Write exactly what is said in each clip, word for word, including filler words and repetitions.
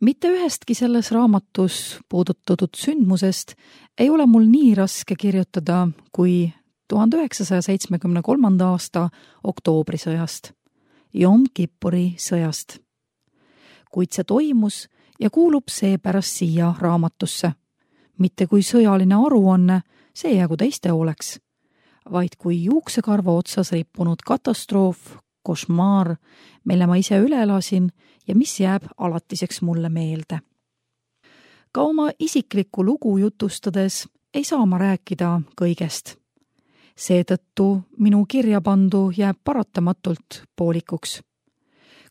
Mitte ühestki selles raamatus puudutatud sündmusest ei ole mul nii raske kirjutada kui tuhande üheksasaja seitsmekümne kolmanda aasta oktoobrisõjast, Jom Kippuri sõjast. Kuid see toimus ja kuulub seepärast siia raamatusse, mitte kui sõjaline aruanne, see jäägu teiste hooleks, vaid kui juuksekarva otsas rippunud katastroof, košmaar, mille ma ise üle elasin ja mis jääb alatiseks mulle meelde. Ka oma isiklikku lugu jutustades ei saa ma rääkida kõigest. Seetõttu minu kirjapandu jääb paratamatult poolikuks.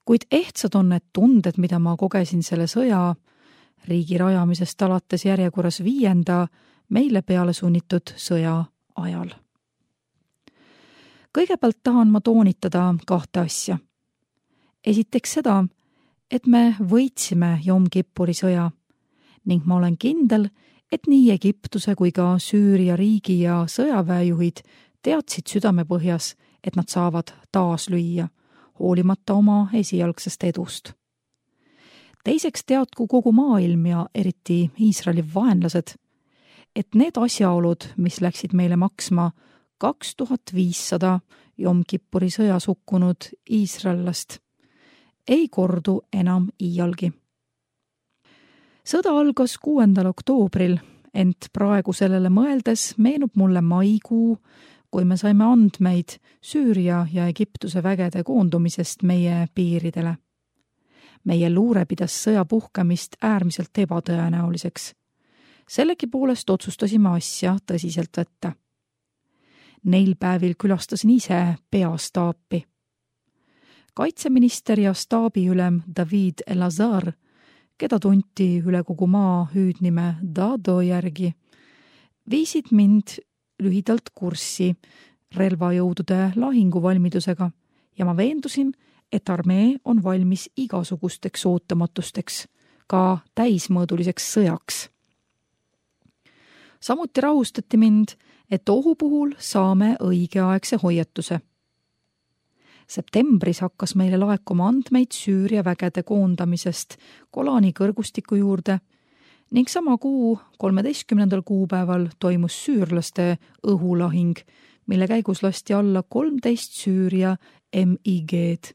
Kuid ehtsad on need tunded, mida ma kogesin selle sõja, riigi rajamisest alates järjekorras viienda, meile peale sunnitud sõja ajal. Kõigepealt tahan ma toonitada kahte asja. Esiteks seda, et me võitsime Jom Kippuri sõja ning ma olen kindel, et nii Egiptuse kui ka Süüria riigi ja sõjaväejuhid teadsid südamepõhjas, et nad saavad taas lüüa, hoolimata oma esialgsest edust. Teiseks teadku kogu maailm ja eriti Iisraeli vaenlased, et need asjaolud, mis läksid meile maksma kaks tuhat viissada Jom Kippuri sõjas hukkunud iisraellast, ei kordu enam iialgi. Sõda algas kuuendal oktoobril, ent praegu sellele mõeldes meenub mulle maikuu, kui me saime andmeid Süüria ja Egiptuse vägede koondumisest meie piiridele. Meie luure pidas sõja puhkemist äärmiselt ebatõenäoliseks. Sellegi poolest otsustasime asja tõsiselt võtta. Neil päevil külastasin ise peastaapi. Kaitseminister ja staabiülem David Elazar, keda tunti üle kogu maa hüüdnime Dado järgi, viisid mind lühidalt kurssi relvajõudude lahinguvalmidusega ja ma veendusin, et armee on valmis igasugusteks ootamatusteks, ka täismõõduliseks sõjaks. Samuti rahustati mind, et ohu puhul saame õigeaegse hoiatuse. Septembris hakkas meile laekuma andmeid Süüria vägede koondamisest Golani kõrgustiku juurde ning sama kuu kolmeteistkümnendal kuupäeval toimus süürlaste õhulahing, mille käigus lasti alla kolmteist Süüria M I G-d.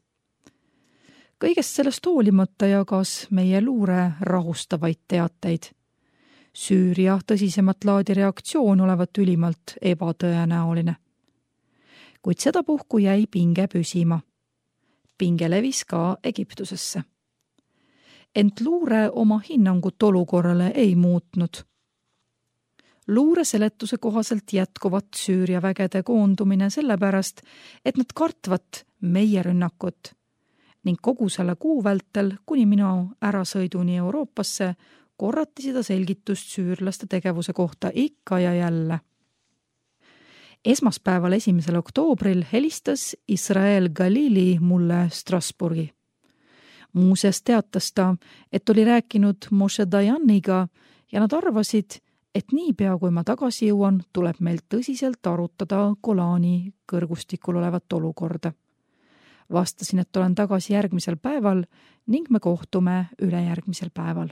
Kõigest sellest hoolimata jagas meie luure rahustavaid teateid. Süüria tõsisemat laadi reaktsioon olevat ülimalt ebatõenäoline. Kuid sedapuhku jäi pinge püsima. Pinge levis ka Egiptusesse. Ent luure oma hinnangut olukorrale ei muutnud. Luure seletuse kohaselt jätkuvat Süüria vägede koondumine sellepärast, et nad kartvat meie rünnakut ning kogu selle kuu vältel kuni minu ärasõiduni Euroopasse korrati seda selgitust süürlaste tegevuse kohta ikka ja jälle. Esmaspäeval esimesel oktoobril helistas Israel Galili mulle Strasbourgi. Muuseas teatas ta, et oli rääkinud Moshe Dayaniga ja nad arvasid, et niipea kui ma tagasi jõuan, tuleb meil tõsiselt arutada Golani kõrgustikul olevat olukorda. Vastasin, et olen tagasi järgmisel päeval ning me kohtume ülejärgmisel päeval.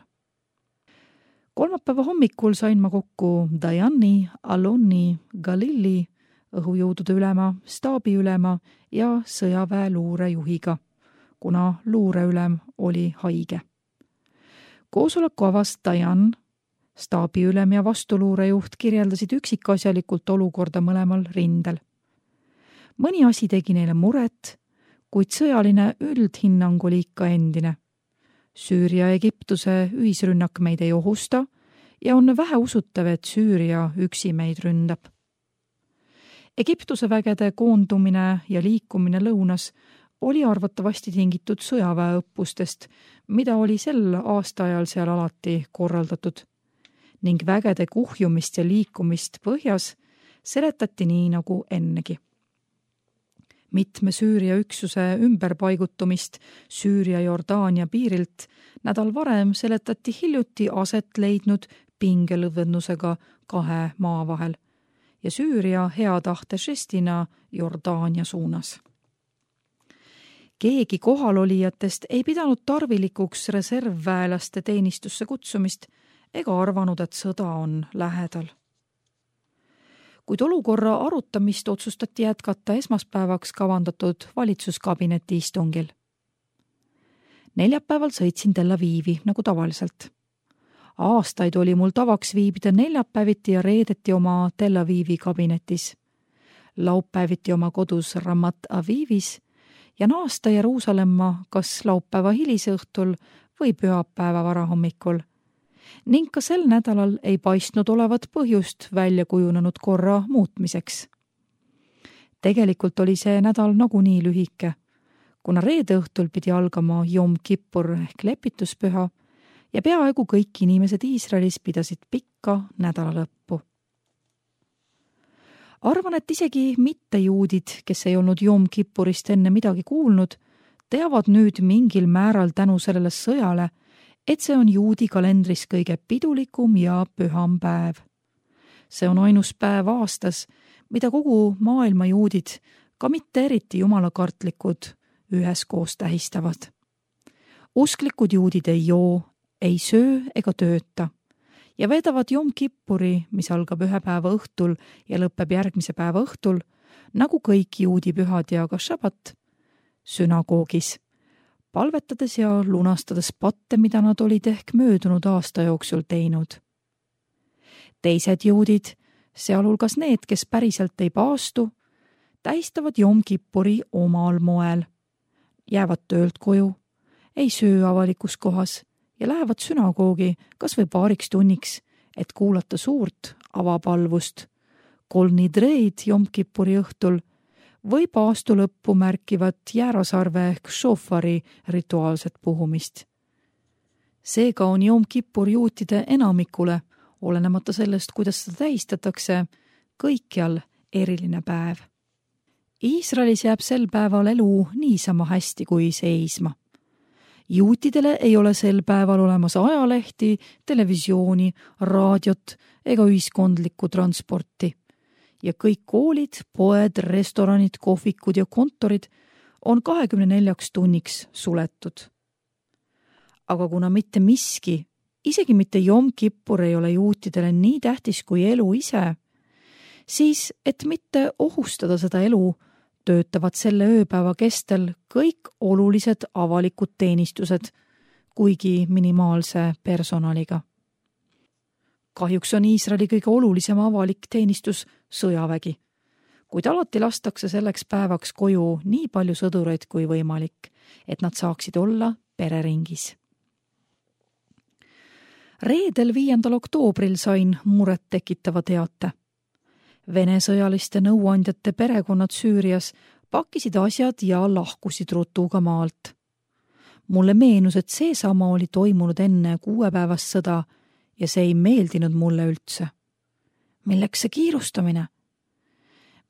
Kolmapäeva hommikul sain ma kokku Dayani, Aloni, Galili, õhujõudude ülema, staabiülema ja sõjaväe luurejuhiga, kuna luureülem oli haige. Koosoleku avas Dayan, staabiülem ja vastuluurejuht kirjeldasid üksikasjalikult olukorda mõlemal rindel. Mõni asi tegi neile muret, kuid sõjaline üldhinnang oli ikka endine. Süüria ja Egiptuse ühisrünnak meid ei ohusta ja on vähe usutav, et Süüria üksi meid ründab. Egiptuse vägede koondumine ja liikumine lõunas oli arvatavasti tingitud sõjaväeõppustest, mida oli sel aastaajal seal alati korraldatud, ning vägede kuhjumist ja liikumist põhjas seletati nii nagu ennegi. Mitme Süüria üksuse ümberpaigutumist Süüria-Jordaania piirilt nädal varem seletati hiljuti aset leidnud pingelõdvendusega kahe maa vahel ja Süüria hea tahte žestina Jordaania suunas. Keegi kohalolijatest ei pidanud tarvilikuks reservväelaste teenistusse kutsumist ega arvanud, et sõda on lähedal. Kuid olukorra arutamist otsustati jätkata esmaspäevaks kavandatud valitsuskabineti istungil. Neljapäeval sõitsin Tel Avivi nagu tavaliselt. Aastaid oli mul tavaks viibida neljapäeviti ja reedeti oma Tel Avivi kabinetis, laupäeviti oma kodus Ramat Avivis ja naasta Jeruusalemma kas laupäeva hilisõhtul või pühapäeva varahommikul. Ning ka sel nädalal ei paistnud olevat põhjust välja kujunenud korra muutmiseks. Tegelikult oli see nädal nagunii lühike, kuna reede õhtul pidi algama Jom Kippur ehk lepituspüha ja peaaegu kõik inimesed Iisraelis pidasid pikka nädalalõppu. Arvan, et isegi mittejuudid, kes ei olnud Jom Kippurist enne midagi kuulnud, teavad nüüd mingil määral tänu sellele sõjale, et see on juudi kalendris kõige pidulikum ja püham päev. See on ainus päev aastas, mida kogu maailma juudid, ka mitte eriti jumalakartlikud, üheskoos tähistavad. Usklikud juudid ei joo, ei söö ega tööta ja veedavad Jom Kippuri, mis algab ühe päeva õhtul ja lõpeb järgmise päeva õhtul, nagu kõik juudi pühad ja ka šabat, sünagoogis, palvetades ja lunastades patte, mida nad olid ehk möödunud aasta jooksul teinud. Teised juudid, sealhulgas need, kes päriselt ei paastu, tähistavad Jom Kippuri omal moel, jäävad töölt koju, ei söö avalikus kohas ja lähevad sünagoogi kas või paariks tunniks, et kuulata suurt avapalvust, kolnidreid Jom Kippuri õhtul või paastu lõppu märkivat jäärasarve ehk šofari rituaalset puhumist. Seega on Jom Kippur juutide enamikule, olenemata sellest, kuidas seda tähistatakse, kõikjal eriline päev. Iisraelis jääb sel päeval elu niisama hästi kui seisma. Juutidele ei ole sel päeval olemas ajalehti, televisiooni, raadiot ega ühiskondlikku transporti. Ja kõik koolid, poed, restoranid, kohvikud ja kontorid on kahekümne neljaks tunniks suletud. Aga kuna mitte miski, isegi mitte Jom Kippur ei ole juutidele nii tähtis kui elu ise, siis et mitte ohustada seda elu, töötavad selle ööpäeva kestel kõik olulised avalikud teenistused, kuigi minimaalse personaliga. Kahjuks on Iisraeli kõige olulisem avalik teenistus sõjavägi, kuid alati lastakse selleks päevaks koju nii palju sõdureid kui võimalik, et nad saaksid olla pereringis. Reedel viiendal oktoobril sain muret tekitava teate. Vene sõjaliste nõuandjate perekonnad Süürias pakkisid asjad ja lahkusid rutuga maalt. Mulle meenus, et seesama oli toimunud enne kuuepäevast sõda ja see ei meeldinud mulle üldse. Milleks see kiirustamine?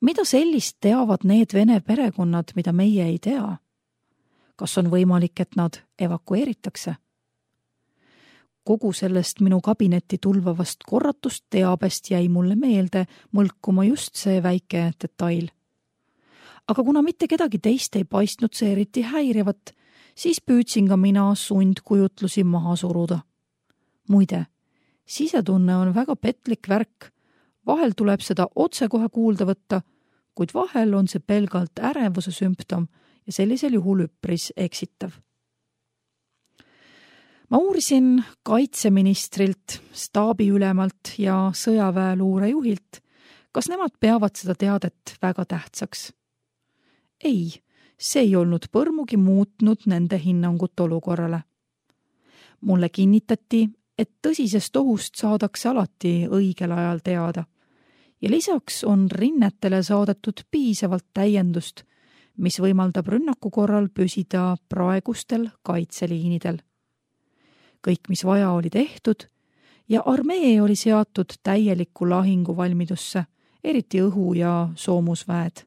Mida sellist teavad need vene perekonnad, mida meie ei tea? Kas on võimalik, et nad evakueeritakse? Kogu sellest minu kabinetti tulvavast korratust teabest jäi mulle meelde mõlkuma just see väike detail. Aga kuna mitte kedagi teist ei paistnud see eriti häirivat, siis püüdsin ka mina sundkujutlusi maha suruda. Muide, sisetunne on väga petlik värk, vahel tuleb seda otsekohe kuulda võtta, kuid vahel on see pelgalt ärevuse sümptom ja sellisel juhul üpris eksitav. Ma uurisin kaitseministrilt, staabiülemalt ja sõjaväeluurejuhilt, kas nemad peavad seda teadet väga tähtsaks. Ei, see ei olnud põrmugi muutnud nende hinnangut olukorrale. Mulle kinnitati, et tõsisest ohust saadakse alati õigel ajal teada ja lisaks on rinnetele saadetud piisavalt täiendust, mis võimaldab rünnaku korral püsida praegustel kaitseliinidel. Kõik, mis vaja, oli tehtud ja armee oli seatud täielikku lahinguvalmidusse, eriti õhu- ja soomusväed.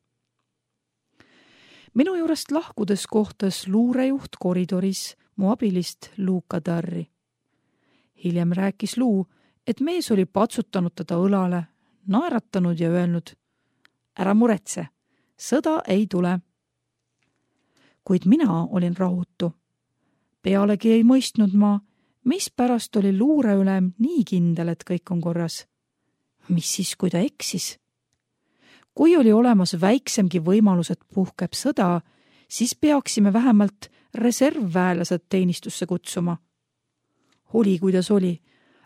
Minu juurest lahkudes kohtas luurejuht koridoris mu abilist Lou Kadarri. Hiljem rääkis Lou, et mees oli patsutanud teda õlale, naeratanud ja öelnud, ära muretse, sõda ei tule. kuid mina olin rahutu. Pealegi ei mõistnud ma, mispärast oli luureülem nii kindel, et kõik on korras. Mis siis, kui ta eksis? Kui oli olemas väiksemgi võimalus, et puhkeb sõda, siis peaksime vähemalt reservväelased teenistusse kutsuma. Oli, kuidas oli,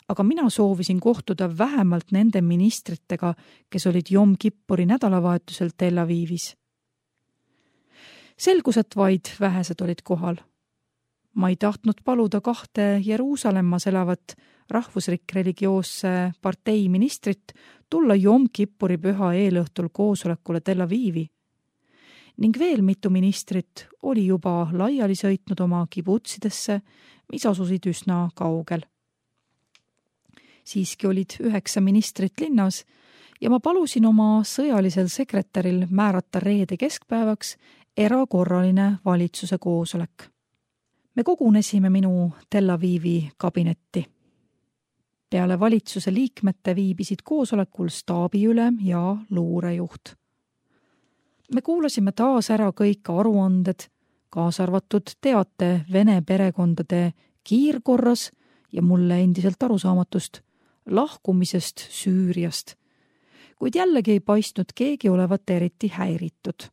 aga mina soovisin kohtuda vähemalt nende ministritega, kes olid Jom Kippuri nädalavahetusel Tel Avivis. Selgus, et vaid vähesed olid kohal. Ma ei tahtnud paluda kahte Jeruusalemmas elavat rahvusrik-religioosse partei ministrit tulla Jom Kippuri püha eelõhtul koosolekule Tel Avivi. Ning veel mitu ministrit oli juba laiali sõitnud oma kibutsidesse, mis asusid üsna kaugel. Siiski olid üheksa ministrit linnas ja ma palusin oma sõjalisel sekretäril määrata reede keskpäevaks erakorraline valitsuse koosolek. Me kogunesime minu Tel Avivi kabinetti. Peale valitsuse liikmete viibisid koosolekul staabiülem ja luurejuht. Me kuulasime taas ära kõik aruanded, kaasa arvatud teate vene perekondade kiirkorras ja mulle endiselt arusaamatust lahkumisest Süüriast, kuid jällegi ei paistnud keegi olevat eriti häiritud.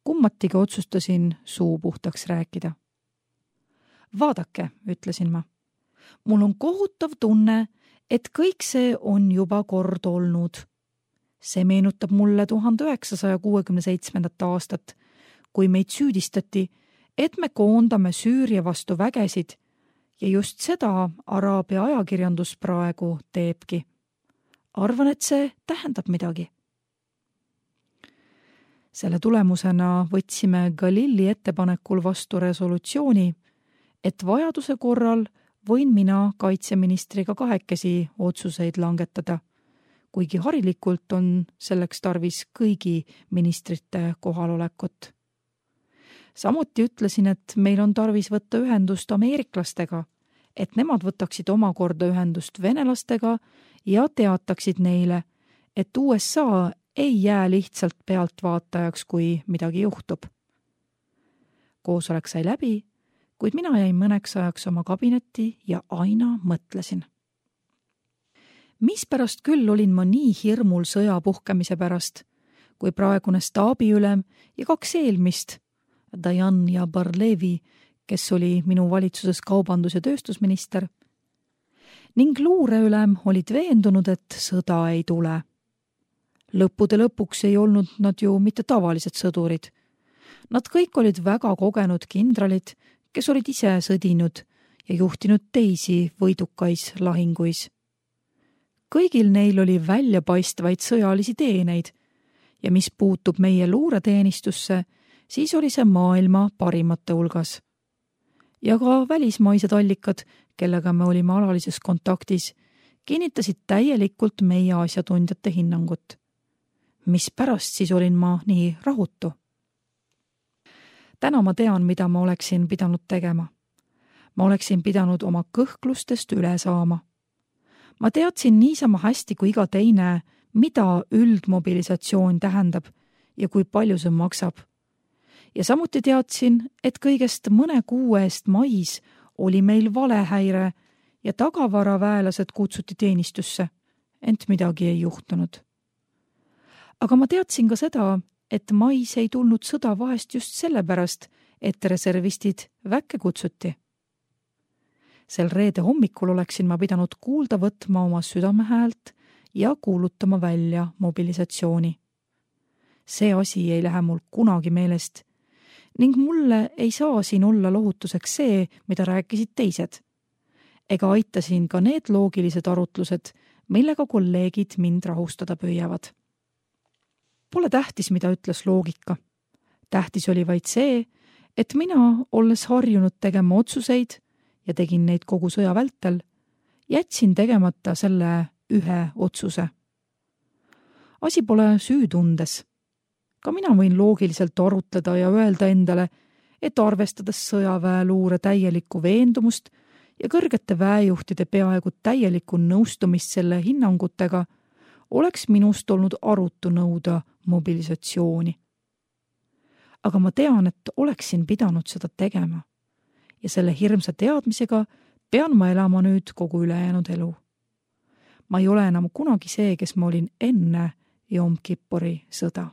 Kummatiga otsustasin suu puhtaks rääkida. Vaadake, ütlesin ma. Mul on kohutav tunne, et kõik see on juba kord olnud. See meenutab mulle tuhande üheksasaja kuuekümne seitsmendat aastat, kui meid süüdistati, et me koondame Süüria vastu vägesid ja just seda Araabia ajakirjandus praegu teebki. Arvan, et see tähendab midagi. Selle tulemusena võtsime Galilli ettepanekul vastu resolutsiooni, et vajaduse korral võin mina kaitseministriga kahekesi otsuseid langetada, kuigi harilikult on selleks tarvis kõigi ministrite kohalolekut. Samuti ütlesin, et meil on tarvis võtta ühendust ameeriklastega, et nemad võtaksid omakorda ühendust venelastega ja teataksid neile, et U S A ei jää lihtsalt pealtvaatajaks, kui midagi juhtub. Koosolek sai läbi, kuid mina jäin mõneks ajaks oma kabinetti ja aina mõtlesin. Mispärast küll olin ma nii hirmul sõja puhkemise pärast, kui praegune staabiülem ja kaks eelmist, Dayan ja Barlevi, kes oli minu valitsuses kaubandus- ja tööstusminister, ning luureülem olid veendunud, et sõda ei tule. Lõppude lõpuks ei olnud nad ju mitte tavalised sõdurid. Nad kõik olid väga kogenud kindralid, kes olid ise sõdinud ja juhtinud teisi võidukais lahinguis. Kõigil neil oli väljapaistvaid sõjalisi teeneid ja mis puutub meie luureteenistusse, siis oli see maailma parimate hulgas. Ja ka välismaised allikad, kellega me olime alalises kontaktis, kinnitasid täielikult meie asjatundjate hinnangut. Mis pärast siis olin ma nii rahutu? Täna ma tean, mida ma oleksin pidanud tegema. Ma oleksin pidanud oma kõhklustest üle saama. Ma teadsin niisama hästi kui iga teine, mida üldmobilisatsioon tähendab ja kui palju see maksab. Ja samuti teadsin, et kõigest mõne kuu eest mais oli meil valehäire ja tagavaraväelased kutsuti teenistusse, ent midagi ei juhtunud. Aga ma teadsin ka seda, et mais ei tulnud sõda vahest just sellepärast, et reservistid väkke kutsuti. Sel reede hommikul oleksin ma pidanud kuulda võtma oma südamehäält ja kuulutama välja mobilisatsiooni. See asi ei lähe mul kunagi meelest ning mulle ei saa siin olla lohutuseks see, mida rääkisid teised. Ega aitasin ka need loogilised arutlused, millega kolleegid mind rahustada püüavad. Pole tähtis, mida ütles loogika. Tähtis oli vaid see, et mina, olles harjunud tegema otsuseid ja tegin neid kogu sõja vältel, jätsin tegemata selle ühe otsuse. Asi pole süütundes. Ka mina võin loogiliselt arutleda ja öelda endale, et arvestades sõjaväeluure täielikku veendumust ja kõrgete väejuhtide peaaegu täielikku nõustumist selle hinnangutega, oleks minust olnud arutu nõuda mobilisatsiooni. aga ma tean, et oleksin pidanud seda tegema. Ja selle hirmsa teadmisega pean ma elama nüüd kogu ülejäänud elu. Ma ei ole enam kunagi see, kes ma olin enne Jom Kippuri sõda.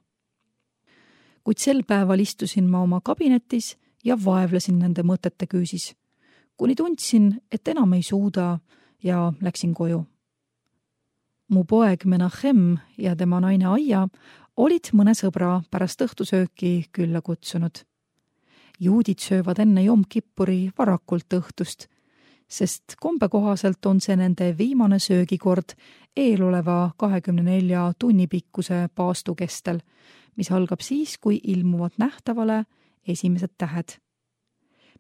Kuid sel päeval istusin ma oma kabinetis ja vaevlesin nende mõtete küüsis, kuni tundsin, et enam ei suuda ja läksin koju. Mu poeg Menachem ja tema naine Aia olid mõne sõbra pärast õhtusööki külla kutsunud. Juudid söövad enne Jom Kippuri varakult õhtust, sest kombe kohaselt on see nende viimane söögikord eeloleva kahekümne nelja tunni pikkuse paastu kestel, mis algab siis, kui ilmuvad nähtavale esimesed tähed.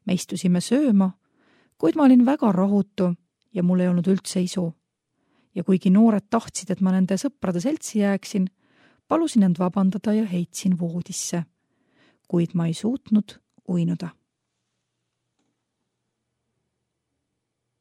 Me istusime sööma, kuid ma olin väga rahutu ja mul ei olnud üldse isu. Ja kuigi noored tahtsid, et ma nende sõprade seltsi jääksin, palusin end vabandada ja heitsin voodisse, kuid ma ei suutnud uinuda.